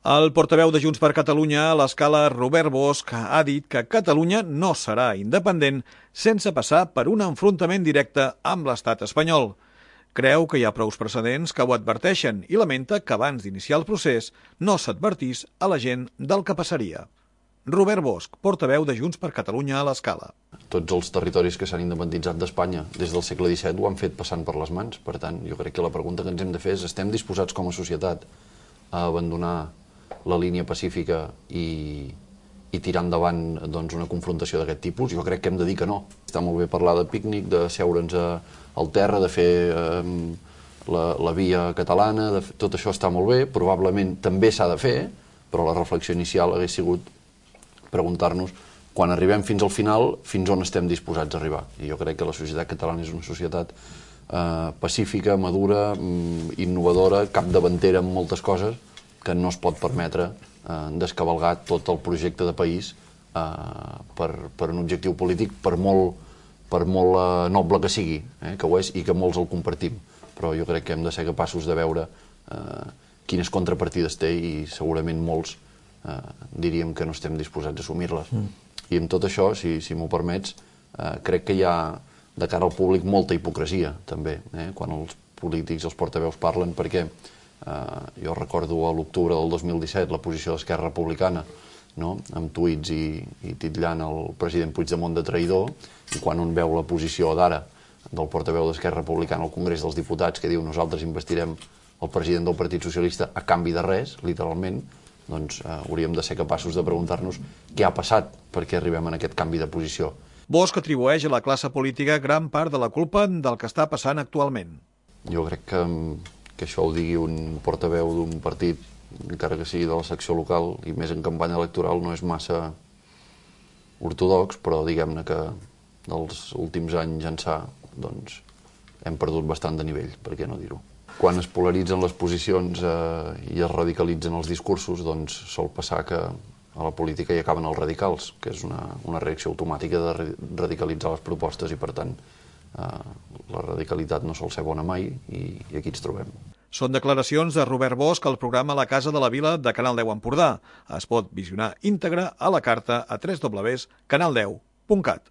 El portaveu de Junts per Catalunya a l'Escala, Robert Bosch, ha dit que Catalunya no serà independent sense passar per un enfrontament directe amb l'estat espanyol. Creu que hi ha prous precedents que ho adverteixen i lamenta que abans d'iniciar el procés no s'advertís a la gent del que passaria. Robert Bosch, portaveu de Junts per Catalunya a l'Escala. Tots els territoris que s'han independitzat d'Espanya des del segle XVII ho han fet passant per les mans. Per tant, jo crec que la pregunta que ens hem de fer és: estem disposats com a societat a abandonar la línia pacífica i tirar endavant una confrontació d'aquest tipus? Jo crec que hem de dir que no. Està molt bé parlar de pícnic, de seure'ns al terra, de fer la via catalana, tot això està molt bé, probablement també s'ha de fer, però la reflexió inicial hagués sigut preguntar-nos, quan arribem fins al final, fins on estem disposats a arribar. I jo crec que la societat catalana és una societat pacífica, madura, innovadora, capdavantera en moltes coses, que no es pot permetre descavalgar tot el projecte de país per un objectiu polític, per molt noble que sigui, que ho és i que molts el compartim. Però jo crec que hem de ser capaços de veure quines contrapartides té i segurament molts diríem que no estem disposats a assumir-les. I amb tot això, si m'ho permets, crec que hi ha de cara al públic molta hipocresia també, quan els polítics, els portaveus parlen, perquè jo recordo a l'octubre del 2017 la posició d'Esquerra Republicana, amb tuits i titllant el president Puigdemont de traïdor, i quan un veu la posició d'ara del portaveu d'Esquerra Republicana al Congrés dels Diputats, que diu: nosaltres investirem el president del Partit Socialista a canvi de res, literalment, doncs hauríem de ser capaços de preguntar-nos què ha passat perquè arribem a aquest canvi de posició. Bosch atribueix a la classe política gran part de la culpa del que està passant actualment. Jo crec que això ho digui un portaveu d'un partit, encara que sigui de la secció local, i més en campanya electoral, no és massa ortodox, però diguem-ne que dels últims anys ençà doncs hem perdut bastant de nivell, per què no dir-ho. Quan es polaritzen les posicions i es radicalitzen els discursos, doncs sol passar que a la política hi acaben els radicals, que és una reacció automàtica de radicalitzar les propostes i, per tant, la radicalitat no sol ser bona mai i aquí ens trobem. Són declaracions de Robert Bosch al programa La Casa de la Vila de Canal 10 Empordà. Es pot visionar íntegre a la carta a www.canal10.cat.